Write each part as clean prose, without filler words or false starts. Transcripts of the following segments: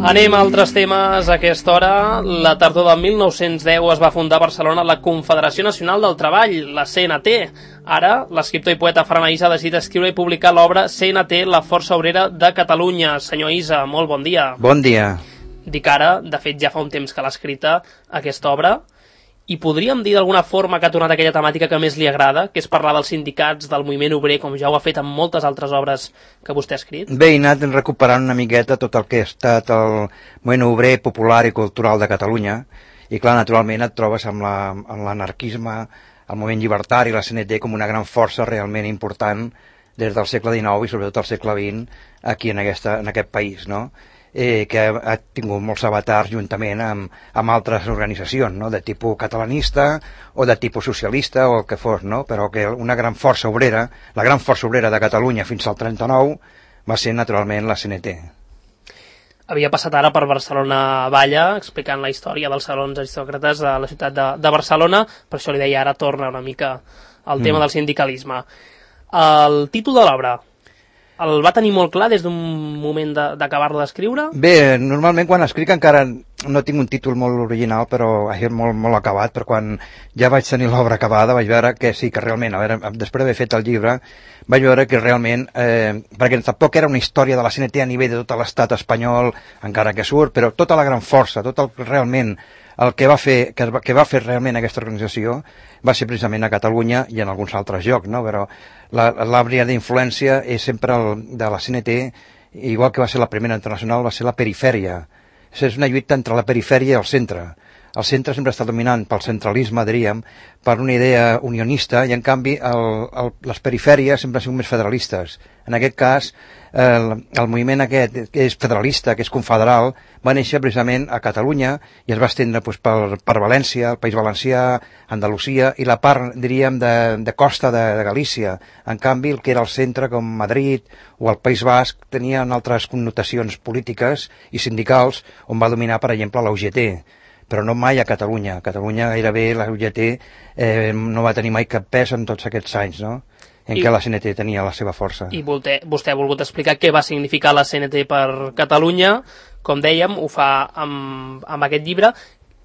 Anem a altres temes a aquesta hora. La tardor del 1910 es va fundar a Barcelona la Confederació Nacional del Treball, la CNT. Ara, l'escriptor i poeta Ferran Isa ha decidit escriure i publicar l'obra CNT, la Força Obrera de Catalunya. Senyor Isa, molt bon dia. Bon dia. Dic ara, de fet ja fa un temps que l'ha escrita, aquesta obra, i podríem dir d'alguna forma que ha tornat aquella temàtica que més li agrada, que és parlar dels sindicats, del moviment obrer, com ja ho ha fet en moltes altres obres que vostè ha escrit? Bé, he anat recuperant una miqueta tot el que ha estat el moviment obrer, popular i cultural de Catalunya, i clar, naturalment et trobes amb l'anarquisme, el moviment llibertari, la CNT, com una gran força realment important des del segle XIX i sobretot al segle XX aquí en aquest país, no? Que ha tingut molts avatars juntament amb altres organitzacions, no? De tipus catalanista o de tipus socialista o el que fos, no? Però que una gran força obrera, la gran força obrera de Catalunya fins al 39 va ser naturalment la CNT. Havia passat ara per Barcelona Valla, explicant la història dels salons aristòcrates de la ciutat de Barcelona, per això li deia ara torna una mica al tema del sindicalisme. El títol de l'obra, el va tenir molt clar des d'un moment d'acabar-lo d'escriure? Bé, normalment quan escric encara no tinc un títol molt original, però molt acabat, però quan ja vaig tenir l'obra acabada vaig veure que sí, que realment, a veure, després d'haver fet el llibre, vaig veure que realment, perquè tampoc era una història de la CNT a nivell de tot l'estat espanyol, encara que surt, però tota la gran força, tot el realment el que va fer realment aquesta organització va ser precisament a Catalunya i en alguns altres llocs, no? Però l'àrea d'influència és sempre de la CNT, igual que va ser la primera internacional, va ser la perifèria. És una lluita entre la perifèria i el centre. El centre sempre està dominant pel centralisme, diríem, per una idea unionista, i en canvi les perifèries sempre han sigut més federalistes. En aquest cas, el moviment aquest, que és federalista, que és confederal, va néixer precisament a Catalunya i es va estendre per València, el País Valencià, Andalusia i la part, diríem, de costa de Galícia. En canvi, el que era el centre, com Madrid o el País Basc, tenien altres connotacions polítiques i sindicals, on va dominar, per exemple, la UGT. Però no mai a Catalunya. A Catalunya gairebé la UGT no va tenir mai cap pes en tots aquests anys, no? En què la CNT tenia la seva força. I vostè ha volgut explicar què va significar la CNT per Catalunya, com dèiem, ho fa amb aquest llibre.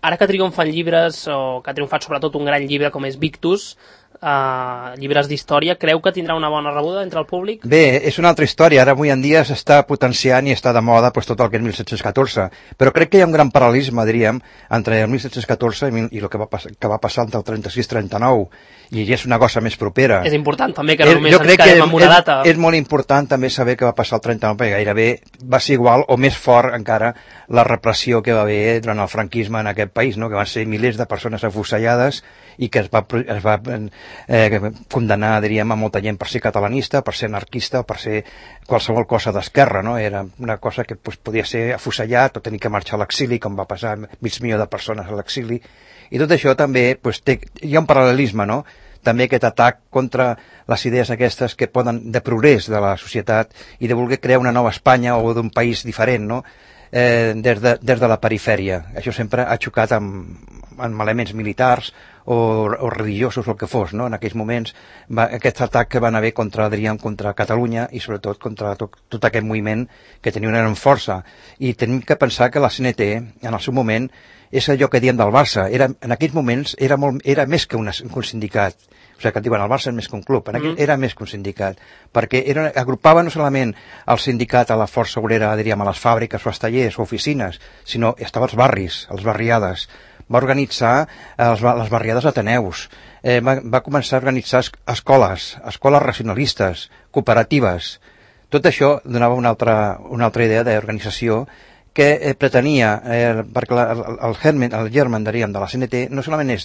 Ara que triomfen llibres, o que ha triomfat sobretot un gran llibre com és Victus, llibres d'història, creu que tindrà una bona rebuda entre el públic? Bé, és una altra història. Ara avui en dia s'està potenciant i està de moda tot el que és 1714, però crec que hi ha un gran paral·lelisme, diríem, entre el 1714 i el que va passar entre el 36 i 39, i és una cosa més propera. És important també que no només ens quedem amb una data. És molt important també saber què va passar el 39, perquè gairebé va ser igual o més fort encara la repressió que va haver durant el franquisme en aquest país, no? Que van ser milers de persones afusellades i que es va condemnar, diríem, a molta gent per ser catalanista, per ser anarquista, per ser qualsevol cosa d'esquerra, no? Era una cosa que podia ser afusellat o tenir que marxar a l'exili, com va passar mig milió de persones a l'exili, i tot això també hi ha un paral·lelisme, no? També aquest atac contra les idees aquestes que poden de progrés de la societat i de voler crear una nova Espanya o d'un país diferent, no? Des de la perifèria. Això sempre ha xocat amb elements militars o religiosos o el que fos, no? En aquells moments aquest atac que van haver contra Catalunya i sobretot contra tot aquest moviment que tenia una gran força. I tenim que pensar que la CNT en el seu moment és allò que diem del Barça, en aquells moments era més que un sindicat. O sigui, que et diuen el Barça és més que un club, era més que un sindicat, perquè agrupava no solament el sindicat a la força obrera, diríem, a les fàbriques o als tallers o oficines, sinó estava als barris, a les barriades. Va organitzar les barriades Ateneus, va començar a organitzar escoles racionalistes, cooperatives. Tot això donava una altra idea d'organització que pretenia, perquè el germen, diríem, de la CNT, no solament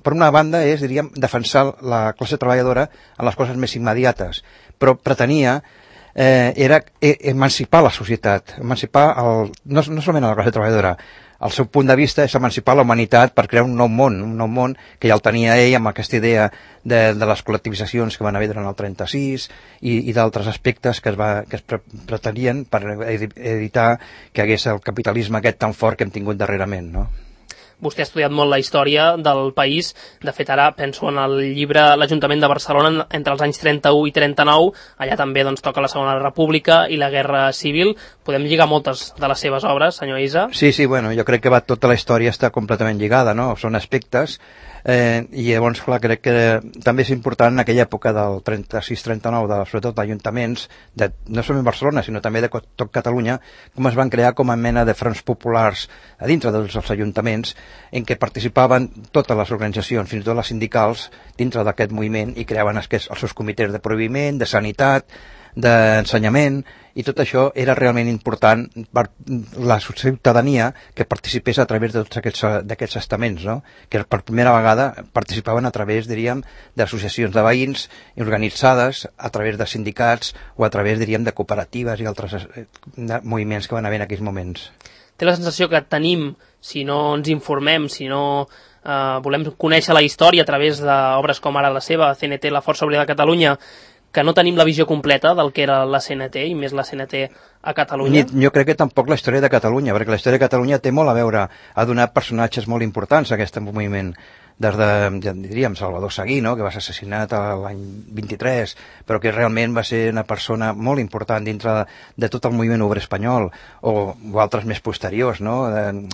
per una banda diríem, defensar la classe treballadora en les coses més immediates, però pretenia emancipar la societat, emancipar no solament a la classe treballadora. El seu punt de vista és emancipar la humanitat per crear un nou món que ja el tenia ell amb aquesta idea de les col·lectivitzacions que van haver durant el 36 i d'altres aspectes que es pretenien per evitar que hagués el capitalisme aquest tan fort que hem tingut darrerament, no? Vostè ha estudiat molt la història del país. De fet, ara penso en el llibre L'Ajuntament de Barcelona entre els anys 31 i 39. Allà també doncs, toca la Segona República i la Guerra Civil. Podem lligar moltes de les seves obres, senyor Isa? Sí, bueno, jo crec que tota la història està completament lligada, no? Són aspectes, i llavors, clar, crec que també és important en aquella època del 36-39, sobretot d'ajuntaments, no només Barcelona, sinó també de tot Catalunya, com es van crear com a mena de fronts populars a dintre dels ajuntaments, en què participaven totes les organitzacions, fins i tot les sindicals, dintre d'aquest moviment, i creaven els seus comitès de prohibiment, de sanitat, d'ensenyament, i tot això era realment important per la ciutadania que participés a través de tots d'aquests estaments, no? Que per primera vegada participaven a través, diríem, d'associacions de veïns organitzades, a través de sindicats o a través, diríem, de cooperatives i altres moviments que van haver en aquells moments. Té la sensació que tenim, si no ens informem, si no volem conèixer la història a través d'obres com ara la seva, CNT, la Força Obrera de Catalunya, que no tenim la visió completa del que era la CNT, i més la CNT a Catalunya? Jo crec que tampoc la història de Catalunya, perquè la història de Catalunya té molt a veure, ha donat personatges molt importants a aquest moviment, des de, diríem, Salvador Seguí, no?, que va ser assassinat l'any 23, però que realment va ser una persona molt important dintre de tot el moviment obrer espanyol, o altres més posteriors, no?,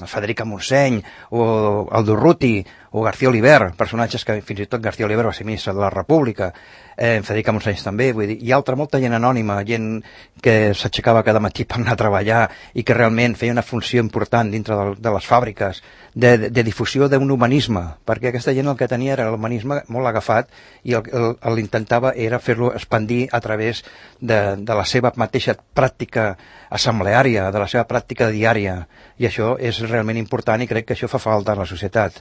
Federica Montseny, o Aldo Ruti, o García Oliver, personatges que fins i tot García Oliver va ser ministre de la República, Federica Montseny també, vull dir, hi ha molta gent anònima, gent que s'aixecava cada matí per anar a treballar i que realment feia una funció important dintre de les fàbriques, de difusió d'un humanisme, perquè aquesta gent el que tenia era l'humanisme molt agafat i l'intentava era fer-lo expandir a través de la seva mateixa pràctica assembleària, de la seva pràctica diària, i això és realment important i crec que això fa falta a la societat.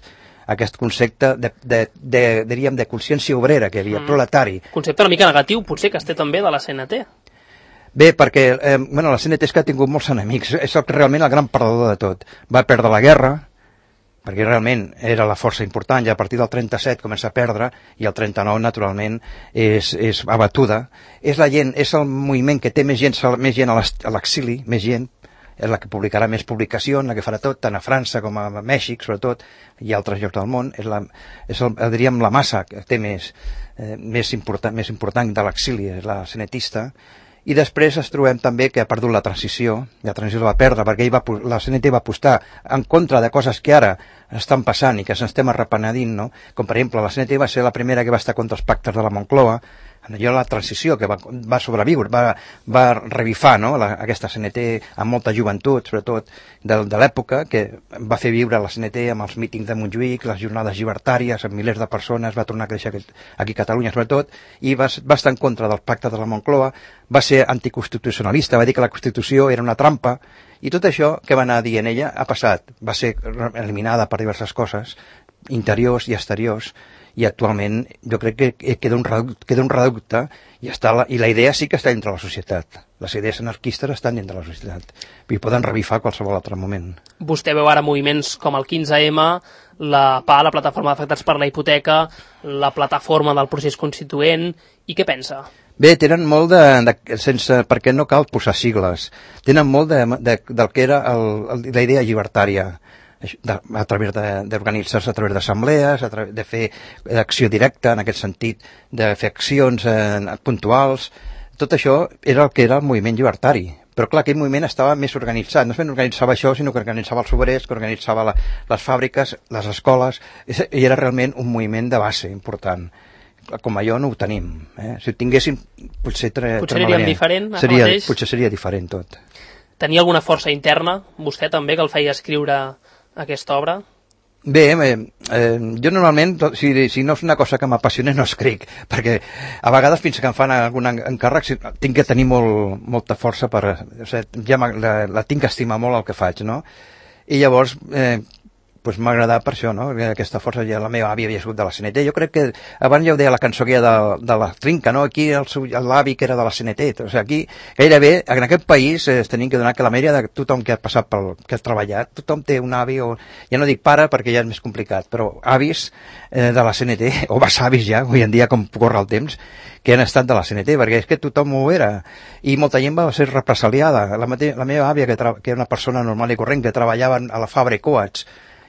Aquest concepte diríem, de consciència obrera que hi havia, proletari. Concepte una mica negatiu, potser, que es té també de la CNT. Bé, perquè la CNT és que ha tingut molts enemics, és realment el gran perdedor de tot. Va perdre la guerra, perquè realment era la força important, i a partir del 37 comença a perdre, i el 39, naturalment, és abatuda. És el moviment que té més gent a l'exili, més gent, és la que publicarà més publicacions, la que farà tot, tant a França com a Mèxic, sobretot, i altres llocs del món. Diríem, la massa que té més important de l'exili, és la CNTista. I després ens trobem també que ha perdut la transició la va perdre perquè la CNT va apostar en contra de coses que ara estan passant i que s'estem arrepenedint, no? Com per exemple, la CNT va ser la primera que va estar contra els pactes de la Moncloa, allò la transició que va sobreviure, va revifar, no? Aquesta CNT amb molta joventut, sobretot de l'època, que va fer viure la CNT amb els mítings de Montjuïc, les jornades llibertàries, amb milers de persones, va tornar a créixer aquí a Catalunya sobretot, i va estar en contra del pacte de la Moncloa, va ser anticonstitucionalista, va dir que la Constitució era una trampa, i tot això que va anar dient ella ha passat, va ser eliminada per diverses coses, interiors i exteriors, i actualment jo crec que queda un reducte i la idea sí que està dintre la societat. Les idees anarquistes estan dintre la societat i poden revifar qualsevol altre moment. Vostè veu ara moviments com el 15M, la PA, la Plataforma d'Afectats per la Hipoteca, la Plataforma del Procés Constituent, i què pensa? Bé, tenen molt perquè no cal posar sigles, tenen molt del que era la idea llibertària, a través d'organitzar-se a través d'assemblees, de fer acció directa en aquest sentit, de fer accions puntuals. Tot això era el que era el moviment llibertari. Però clar, aquell moviment estava més organitzat. No només organitzava això, sinó que organitzava els obrers, que organitzava les fàbriques, les escoles, i era realment un moviment de base important. Com allò no ho tenim. Si ho tinguéssim, potser seríem diferent, potser seria diferent tot. Tenia alguna força interna, vostè també, que el feia escriure aquesta obra? Bé, jo normalment, si no és una cosa que m'apassiona, no escric, perquè a vegades fins que em fan algun encàrrec tinc que tenir molta força la tinc que estimar molt el que faig, no? I llavors m'ha agradat per això, no? Aquesta força, ja la meva àvia havia sigut de la CNT. Jo crec que abans ja ho deia la cançó que hi ha de la Trinca, no? Aquí l'avi que era de la CNT. O sigui, aquí gairebé en aquest país tenim que donar que la majoria de tothom que ha passat que ha treballat, tothom té un avi, o ja no dic pare perquè ja és més complicat, però avis de la CNT, o besavis ja, avui en dia com corre el temps, que han estat de la CNT, perquè és que tothom ho era, i molta gent va ser represaliada. La meva àvia, que era una persona normal i corrent, que treballava a la Fabra i Coats,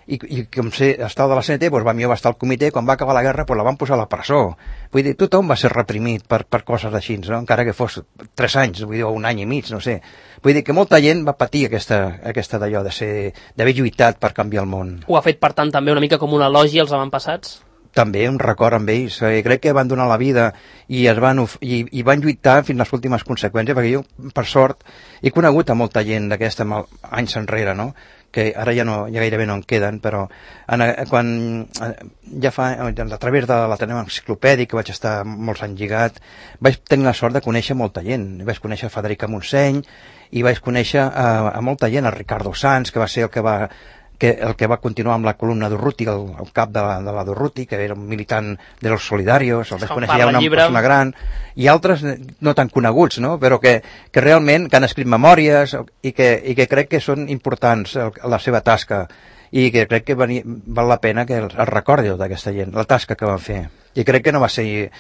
i com estava de la CNT, doncs millor va estar al comitè, quan va acabar la guerra la van posar a la presó. Vull dir, tothom va ser reprimit per coses així, no? Encara que fos 3 anys, vull dir, o 1 any i mig, no sé. Vull dir que molta gent va patir aquesta d'allò, d'haver lluitat per canviar el món. Ho ha fet, per tant, també una mica com un elogi als avantpassats? També un record amb ells, crec que van donar la vida i van lluitar fins les últimes conseqüències, perquè jo, per sort, he conegut a molta gent d'aquesta anys enrere, no? Que ara ja gairebé no en queden, però quan ja a través de l'Ateneu Enciclopèdic, que vaig estar molts anys lligat, vaig tenir la sort de conèixer molta gent. Vaig conèixer Federica Montseny i vaig conèixer a molta gent, a Ricardo Sanz, que va ser el que va continuar amb la columna d'Urruti, el cap de la d'Urruti, que era un militant de los solidarios, el vaig conèixer ja una persona gran, i altres no tan coneguts, no? Però que realment que han escrit memòries i que crec que són importants la seva tasca, i que crec que val la pena que els recordi d'aquesta gent, la tasca que van fer. I crec que no va ser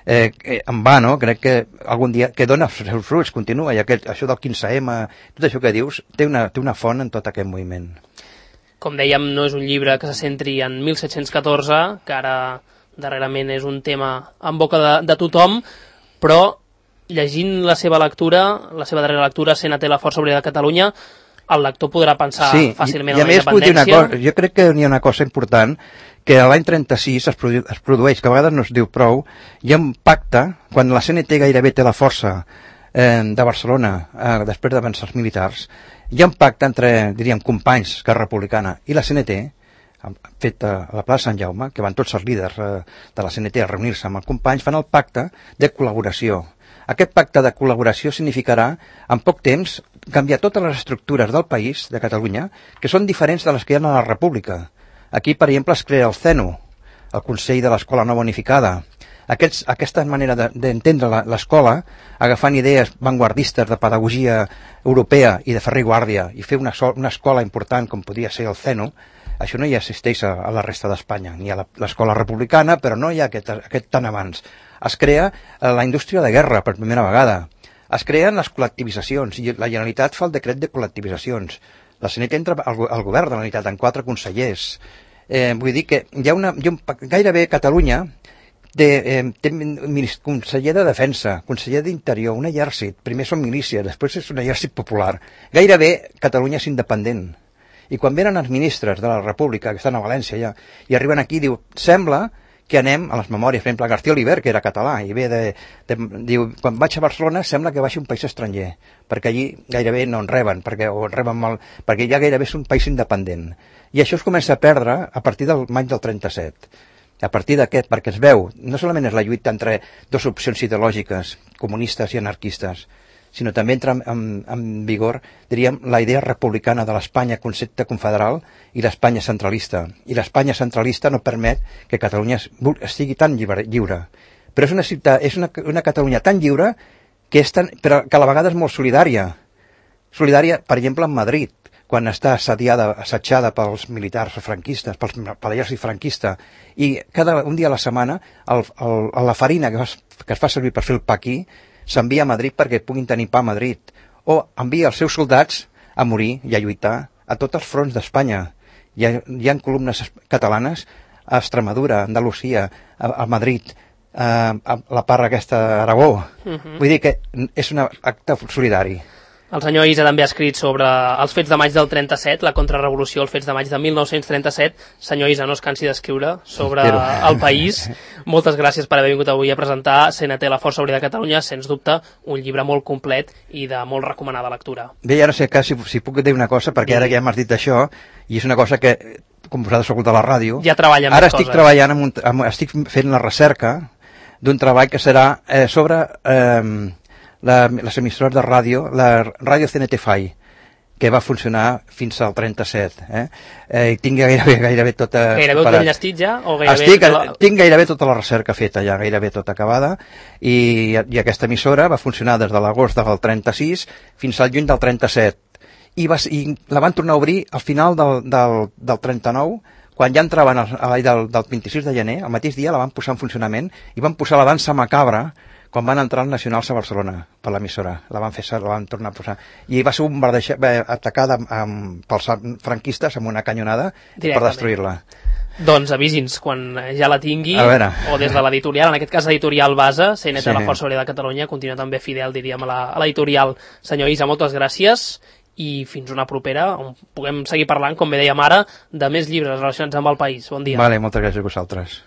en va, no? Crec que algun dia que dona els seus fruits, continua, i això del 15M, tot això que dius, té una font en tot aquest moviment. Com dèiem, no és un llibre que se centri en 1714, que ara darrerament és un tema en boca de tothom, però llegint la seva darrera lectura, CNT, la Força Obrera de Catalunya, el lector podrà pensar fàcilment en la independència. Jo crec que hi ha una cosa important, que l'any 36 es produeix, que a vegades no es diu prou, hi ha un pacte, quan la CNT gairebé té la força de Barcelona, després de vèncer els militars, hi ha un pacte entre, diríem, companys Esquerra Republicana i la CNT, fet a la plaça Sant Jaume, que van tots els líders de la CNT a reunir-se amb els companys, fan el pacte de col·laboració. Aquest pacte de col·laboració significarà, en poc temps, canviar totes les estructures del país, de Catalunya, que són diferents de les que hi ha a la República. Aquí, per exemple, es crea el CENU, el Consell de l'Escola Nova Unificada. Aquesta manera d'entendre l'escola, agafant idees vanguardistes de pedagogia europea i de Ferrer i Guàrdia, i fer una escola important com podia ser el CENU, això no hi existeix a la resta d'Espanya, ni a l'escola republicana, però no hi ha aquest tan abans. Es crea la indústria de guerra per primera vegada. Es creen les col·lectivitzacions, i la Generalitat fa el decret de col·lectivitzacions. La CNT entra al govern de la Generalitat amb 4 consellers. Vull dir que hi ha gairebé Catalunya té conseller de Defensa, conseller d'Interior, un exèrcit, primer són milícies, després és un exèrcit popular. Gairebé Catalunya és independent. I quan venen els ministres de la República, que estan a València ja, i arriben aquí, diu, sembla que anem a les memòries, per exemple, García Oliver, que era català, i ve diu, quan vaig a Barcelona sembla que vagi un país estranger, perquè allí gairebé no en reben, o en reben mal, perquè ja gairebé és un país independent. I això es comença a perdre a partir del maig del 37. A partir d'aquest, perquè es veu, no solament és la lluita entre dues opcions ideològiques, comunistes i anarquistes, sinó també entra en vigor, diríem, la idea republicana de l'Espanya concepte confederal i l'Espanya centralista. I l'Espanya centralista no permet que Catalunya estigui tan lliure. Però és una Catalunya tan lliure però que a la vegada és molt solidària. Solidària, per exemple, en Madrid, quan està assetjada pels militars franquistes, per l'exèrcit franquista, i un dia a la setmana la farina que es fa servir per fer el pa aquí s'envia a Madrid perquè puguin tenir pa a Madrid, o envia els seus soldats a morir i a lluitar a tots els fronts d'Espanya. Hi ha columnes catalanes a Extremadura, a Andalusia, a Madrid, a la part aquesta d'Aragó. Vull dir que és un acte solidari. El senyor Issa també ha escrit sobre els fets de maig del 37, la contrarrevolució, els fets de maig de 1937. Senyor Issa, no es cansi d'escriure sobre el país. Moltes gràcies per haver vingut avui a presentar CNT, la Força Obrera de Catalunya, sens dubte un llibre molt complet i de molt recomanada lectura. Bé, ja no sé si puc dir una cosa, perquè ara ja m'has dit això, i és una cosa que, com vosaltres sou de la ràdio, ja treballa ara estic treballant, estic fent la recerca d'un treball que serà sobre les emissores de ràdio, la ràdio CNT FAI, que va funcionar fins al 37. I tinc gairebé tota... Gairebé tot enllestit ja? Tinc gairebé tota la recerca feta ja, gairebé tota acabada, i aquesta emissora va funcionar des de l'agost del 36 fins al juny del 37. I la van tornar a obrir al final del 39, quan ja entraven del 26 de gener, el mateix dia la van posar en funcionament, i van posar la dansa macabra quan van entrar els nacionals a Barcelona per l'emissora, la van tornar a posar, i va ser atacada pels franquistes amb una canyonada per destruir-la. Doncs avisi'ns quan ja la tingui, o des de l'editorial, en aquest cas editorial Base, CNT de la Força Obrera de Catalunya, continua també fidel, diríem, a l'editorial. Senyor Isa, moltes gràcies, i fins una propera, on puguem seguir parlant, com bé dèiem ara, de més llibres relacionats amb el país. Bon dia. Vale, moltes gràcies a vosaltres.